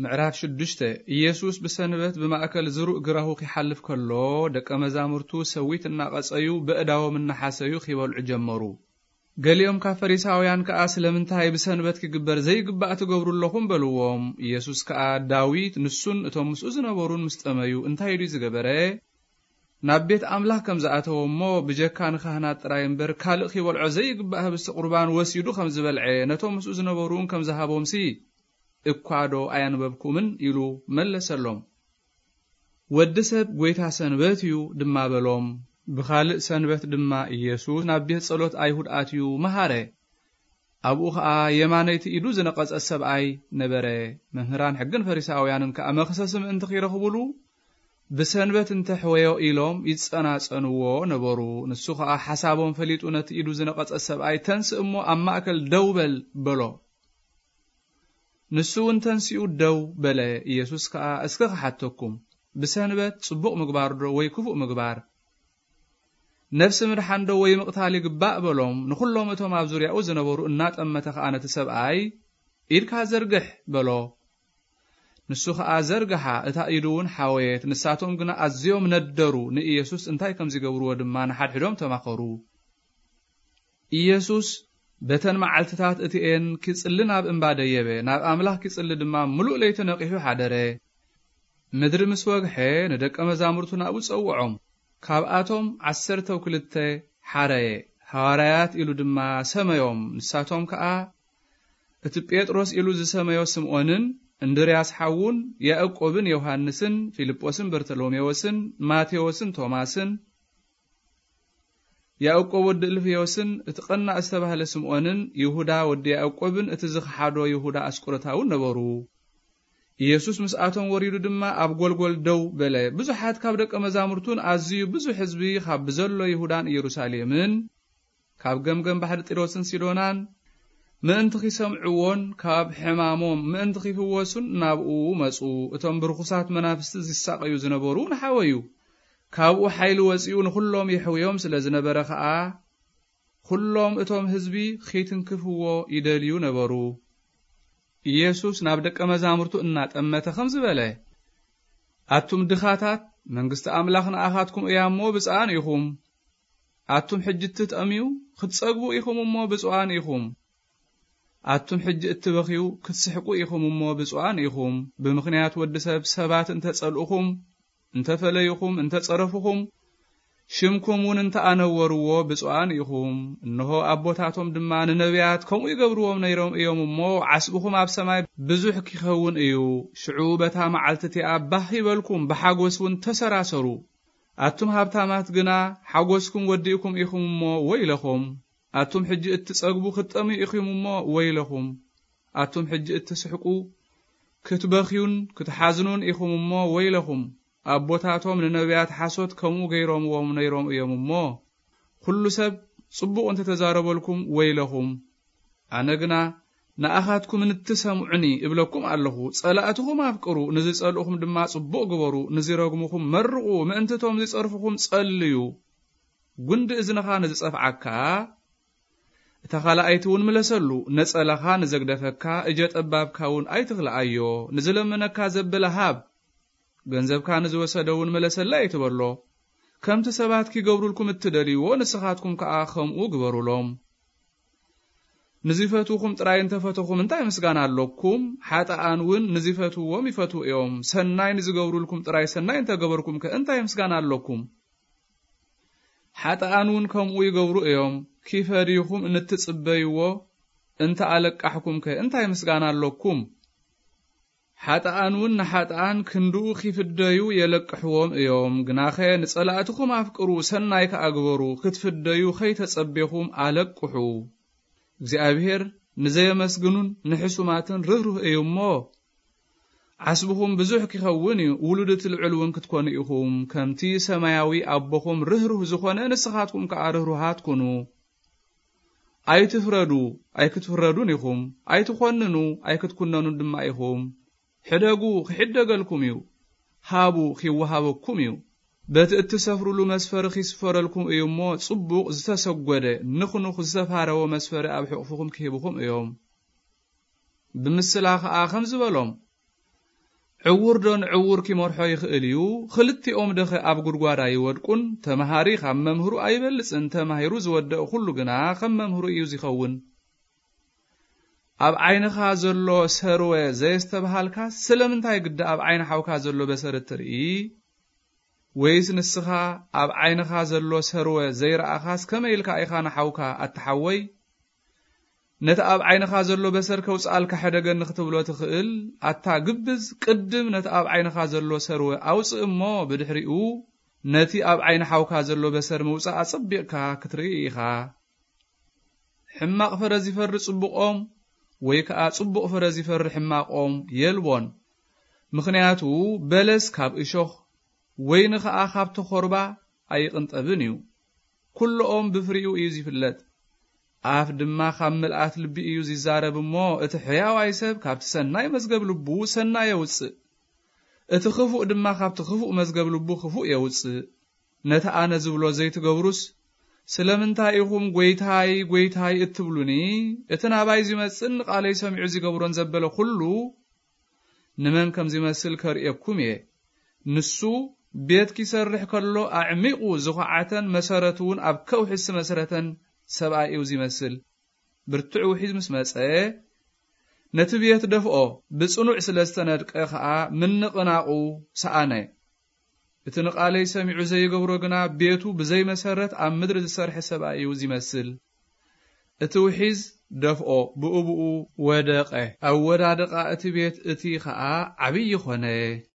ምዕራፍ ሽዱሽተ። ኢየሱስ ብሰንበት ብማእከል ዝሩእ ግራሁ ኺሓልፍ ከሎ፣ ደቀ መዛሙርቱ ሰዊት እናቐጸዩ፣ በእዳዎም እናሓሰዩ ኺበልዑ ጀመሩ። ገሊኦም ካብ ፈሪሳውያን ከኣ፣ "ስለምንታይ ብሰንበት ኪግበር ዘይግባእ ትገብሩ ኣለኹም?" በልዎም። ኢየሱስ ከኣ፣ "ዳዊት ንሱን እቶም ምስኡ ዝነበሩን ምስ ጠመዩ እንታይ ድዩ ዝገበረ? ናብ ቤት ኣምላኽ ከም ዝኣተወ እሞ፣ ብጀካ ንካህናት ጥራይ እምበር፣ ካልእ ኺበልዖ ዘይግባእ ህብስቲ ቁርባን ወሲዱ ከም ዝበልዐ፣ ነቶም ምስኡ ዝነበሩ እውን ከም ዝሃቦምሲ፣ እኳ ዶ ኣየንበብኩምን?" ኢሉ መለሰሎም። "ወዲ ሰብ ጐይታ ሰንበት እዩ" ድማ በሎም። ብኻልእ ሰንበት ድማ ኢየሱስ ናብ ቤት ጸሎት ኣይሁድ ኣትዩ መሃረ። ኣብኡ ኸኣ የማነይቲ ኢዱ ዝነቐጸ ሰብኣይ ነበረ። መምህራን ሕግን ፈሪሳውያንን ከኣ መኽሰሲ ምእንቲ ኺረኽቡሉ፣ "ብሰንበት እንተ ሕወዮ" ኢሎም ይጸናጸንዎ ነበሩ። ንሱ ኸኣ ሓሳቦም ፈሊጡ ነቲ ኢዱ ዝነቐጸ ሰብኣይ፣ "ተንስእ እሞ ኣብ ማእከል ደው በል" በሎ። ንሱ እውን ተንሲኡ ደው በለ። ኢየሱስ ከኣ፣ "እስከ ክሓተኩም፣ ብሰንበት ጽቡቕ ምግባር ዶ ወይ ክፉእ ምግባር? ነፍሲ ምድሓን ዶ ወይ ምቕታል ይግባእ?" በሎም። ንኹሎም እቶም ኣብ ዙርያኡ ዝነበሩ እናጠመተ ከኣ ነቲ ሰብኣይ፣ "ኢድካ ዘርግሕ" በሎ። ንሱ ኸኣ ዘርግሓ፣ እታ ኢዱ እውን ሓወየት። ንሳቶም ግና ኣዝዮም ነደሩ፣ ንኢየሱስ እንታይ ከም ዚገብርዎ ድማ ንሓድሕዶም ተማኸሩ። ኢየሱስ በተን መዓልትታት እቲኤን ኪጽሊ ናብ እምባ ደየበ፣ ናብ ኣምላኽ ኪጽሊ ድማ ምሉእ ለይቲ ነቒሑ ሓደረ። ምድሪ ምስ ወግሐ፣ ንደቀ መዛሙርቱ ናብኡ ጸውዖም። ካብኣቶም ዓሰርተው ክልተ ሓረየ፣ ሃዋርያት ኢሉ ድማ ሰመዮም። ንሳቶም ከኣ፣ እቲ ጴጥሮስ ኢሉ ዝሰመዮ ስምዖንን፣ እንድርያስ ሓዉን፣ ያዕቆብን ዮሃንስን፣ ፊልጶስን በርተሎሜዎስን፣ ማቴዎስን ቶማስን፣ ያዕቆብ ወዲ እልፍዮስን፣ እቲ ቀናእ ዝተባህለ ስምዖንን፣ ይሁዳ ወዲ ያዕቆብን፣ እቲ ዝኸሓዶ ይሁዳ ኣስቆሮታውን ነበሩ። ኢየሱስ ምስኣቶም ወሪዱ ድማ ኣብ ጐልጐል ደው በለ። ብዙሓት ካብ ደቀ መዛሙርቱን ኣዝዩ ብዙሕ ህዝቢ ካብ ብዘሎ ይሁዳን ኢየሩሳሌምን፣ ካብ ገምገም ባሕሪ ጢሮስን ሲዶናን ምእንቲ ኺሰምዕዎን ካብ ሕማሞም ምእንቲ ኺፍወሱን ናብኡ መጹ። እቶም ብርኹሳት መናፍስቲ ዚሳቐዩ ዝነበሩ እውን ሓወዩ። ካብኡ ሓይሊ ወጺኡ ንኹሎም የሕውዮም ስለ ዝነበረ ኸኣ፣ ኹሎም እቶም ህዝቢ ኺትንክፍዎ ይደልዩ ነበሩ። ኢየሱስ ናብ ደቀ መዛሙርቱ እናጠመተ ኸምዚ በለ፣ "ኣቱም ድኻታት፣ መንግስቲ ኣምላኽ ንኣኻትኩም እያ እሞ ብፅኣን ኢኹም። ኣቱም ሕጂ እትጠምዩ፣ ክትጸግቡ ኢኹም እሞ ብፁዓን ኢኹም። ኣቱም ሕጂ እትበኽዩ፣ ክትስሕቁ ኢኹም እሞ ብፁዓን ኢኹም። ብምኽንያት ወዲ ሰብ ሰባት እንተ ጸልኡኹም፣ እንተ ፈለዩኹም፣ እንተ ጸረፉኹም፣ ሽምኩም እውን እንተ ኣነወርዎ፣ ብፁዓን ኢኹም። እንሆ፣ ኣቦታቶም ድማ ንነቢያት ከምኡ ይገብርዎም ነይሮም እዮም እሞ፣ ዓስብኹም ኣብ ሰማይ ብዙሕ ኪኸውን እዩ። ሽዑ በታ መዓልቲ እቲኣ ባህ ይበልኩም፣ ብሓጎስ እውን ተሰራሰሩ። ኣቱም ሃብታማት ግና፣ ሓጎስኩም ወዲእኩም ኢኹም እሞ፣ ወይለኹም። ኣቱም ሕጂ እትጸግቡ ክትጠምዩ ኢኹም እሞ፣ ወይለኹም። ኣቱም ሕጂ እትስሕቁ፣ ክትበኽዩን ክትሓዝኑን ኢኹም እሞ፣ ወይለኹም። ኣቦታቶም ንነቢያት ሓሶት ከምኡ ገይሮምዎም ነይሮም እዮም እሞ፣ ኵሉ ሰብ ጽቡቕ እንተ ተዛረበልኩም፣ ወይለኹም። ኣነ ግና ንኣኻትኩም እንትሰምዑኒ እብለኩም ኣለኹ፣ ጸላእትኹም ኣፍቅሩ፣ ንዝጸልኡኹም ድማ ጽቡቕ ግበሩ፣ ንዚረግሙኹም መርቑ፣ ምእንቲ እቶም ዚጸርፉኹም ጸልዩ። ጒንዲ እዝንኻ ንዝጸፍዓካ፣ እታ ኻልኣይቲ እውን ምለሰሉ። ነጸላኻ ንዘግደፈካ፣ እጀ ጠባብካ እውን ኣይትኽልኣዮ። ንዝለመነካ ዘበለ ሃብ፣ ገንዘብካ ንዝወሰደ እውን መለሰለይ ኣይትበሎ። ከምቲ ሰባት ኪገብሩልኩም እትደልይዎ፣ ንስኻትኩም ከኣ ከምኡ ግበሩሎም። ንዚፈትዉኹም ጥራይ እንተ ፈተኹም፣ እንታይ ምስጋና ኣሎኩም? ሓጥኣን እውን ንዚፈትውዎም ይፈትዉ እዮም። ሰናይ ንዚገብሩልኩም ጥራይ ሰናይ እንተ ገበርኩምከ፣ እንታይ ምስጋና ኣሎኩም? ሓጥኣን እውን ከምኡ ይገብሩ እዮም። ኪፈድዩኹም እንትጽበይዎ እንተ ኣለቃሕኩምከ፣ እንታይ ምስጋና ኣሎኩም? ሓጥኣን እውን ንሓጥኣን ክንድኡ ኺፍደዩ የለቅሕዎም እዮም። ግናኸ ንጸላእትኹም ኣፍቅሩ፣ ሰናይ ከኣ ግበሩ፣ ክትፍደዩ ኸይተጸቤኹም ኣለቅሑ። እግዚኣብሄር ንዘየመስግኑን ንሕሱማትን ርህሩህ እዩ እሞ፣ ዓስብኹም ብዙሕ ኪኸውን እዩ፣ ውሉድ እቲ ልዑል እውን ክትኮኑ ኢኹም። ከምቲ ሰማያዊ ኣቦኹም ርህሩህ ዝኾነ፣ ንስኻትኩም ከኣ ርህሩሃት ኩኑ። ኣይትፍረዱ፣ ኣይክትፍረዱን ኢኹም። ኣይትኾንኑ፣ ኣይክትኩነኑን ድማ ኢኹም። ሕደጉ፣ ኺሕደገልኩም እዩ። ሃቡ፣ ኺወሃበኩም እዩ። በቲ እትሰፍሩሉ መስፈሪ ኺስፈረልኩም እዩ እሞ፣ ጽቡቕ ዝተሰጐደ፣ ንኹንኹ ዝተፋረወ መስፈሪ ኣብ ሕቑፍኹም ኪህብኹም እዮም። ብምስላ ኸኣ ኸምዚ በሎም፣ ዕዉር ዶ ንዕዉር ኪመርሖ ይኽእል እዩ? ክልቲኦም ደኸ ኣብ ጉድጓድ ኣይወድቁን? ተምሃሪ ካብ መምህሩ ኣይበልጽን፣ ተማሂሩ ዝወደእ ኩሉ ግና ከም መምህሩ እዩ ዚኸውን። ኣብ ዓይንኻ ዘሎ ሰርወ ዘየስተብሃልካስ፣ ስለምንታይ ግዳ ኣብ ዓይኒ ሓውካ ዘሎ በሰር እትርኢ? ወይስ ንስኻ ኣብ ዓይንኻ ዘሎ ሰርወ ዘይረኣኻስ፣ ከመይ ኢልካ ኢኻ ንሓውካ፣ ኣታ ሓወይ፣ ነቲ ኣብ ዓይንኻ ዘሎ በሰር ከውጽኣልካ ሕደገኒ ክትብሎ ትኽእል? ኣታ ግብዝ፣ ቅድም ነቲ ኣብ ዓይንኻ ዘሎ ሰርወ ኣውጽእ እሞ፣ ብድሕሪኡ ነቲ ኣብ ዓይኒ ሓውካ ዘሎ በሰር ምውጻእ ኣጸቢቕካ ክትርኢ ኢኻ። ሕማቕ ፍረ ዚፈሪ ጽቡቖም፣ ወይ ከኣ ጽቡቕ ፍረ ዚፈሪ ሕማቖም የልቦን። ምኽንያቱ በለስ ካብ እሾኽ፣ ወይኒ ኸኣ ካብ ተኾርባ ኣይቕንጠብን እዩ። ኩሎኦም ብፍሪኡ እዩ ዚፍለጥ። ኣፍ ድማ ካብ ምልኣት ልቢ እዩ ዚዛረብ እሞ፣ እቲ ሕያዋይ ሰብ ካብቲ ሰናይ መዝገብ ልቡ ሰናይ የውጽእ፣ እቲ ኽፉእ ድማ ካብቲ ኽፉእ መዝገብ ልቡ ኽፉእ የውጽእ። ነቲ ኣነ ዝብሎ ዘይትገብሩስ፣ ስለምንታይ ኢኹም ጐይታይ፣ ጐይታይ እትብሉኒ? እቲ ናባይ ዚመጽእን ንቓለይ ሰሚዑ ዚገብሮን ዘበለ ኹሉ ንመን ከም ዚመስል ከርእየኩም እየ። ንሱ ቤት ኪሰርሕ ከሎ ኣዕሚቑ ዝኹዓተን መሰረቱ እውን ኣብ ከውሒ ዝመሰረተን ሰብኣይ እዩ ዚመስል። ብርቱዕ ውሒዝ ምስ መጸ፣ ነቲ ቤት ደፍኦ፣ ብጽኑዕ ስለ ዝተነድቀ ኸኣ ምንቕናቑ ሰኣነ። እቲ ንቓለይ ሰሚዑ ዘይገብሮ ግና ቤቱ ብዘይ መሰረት ኣብ ምድሪ ዝሰርሐ ሰብኣይ እዩ ዚመስል። እቲ ውሒዝ ደፍኦ፣ ብኡ ብኡ ወደቐ። ኣወዳድቓ እቲ ቤት እቲ ኸኣ ዓብዪ ኾነ።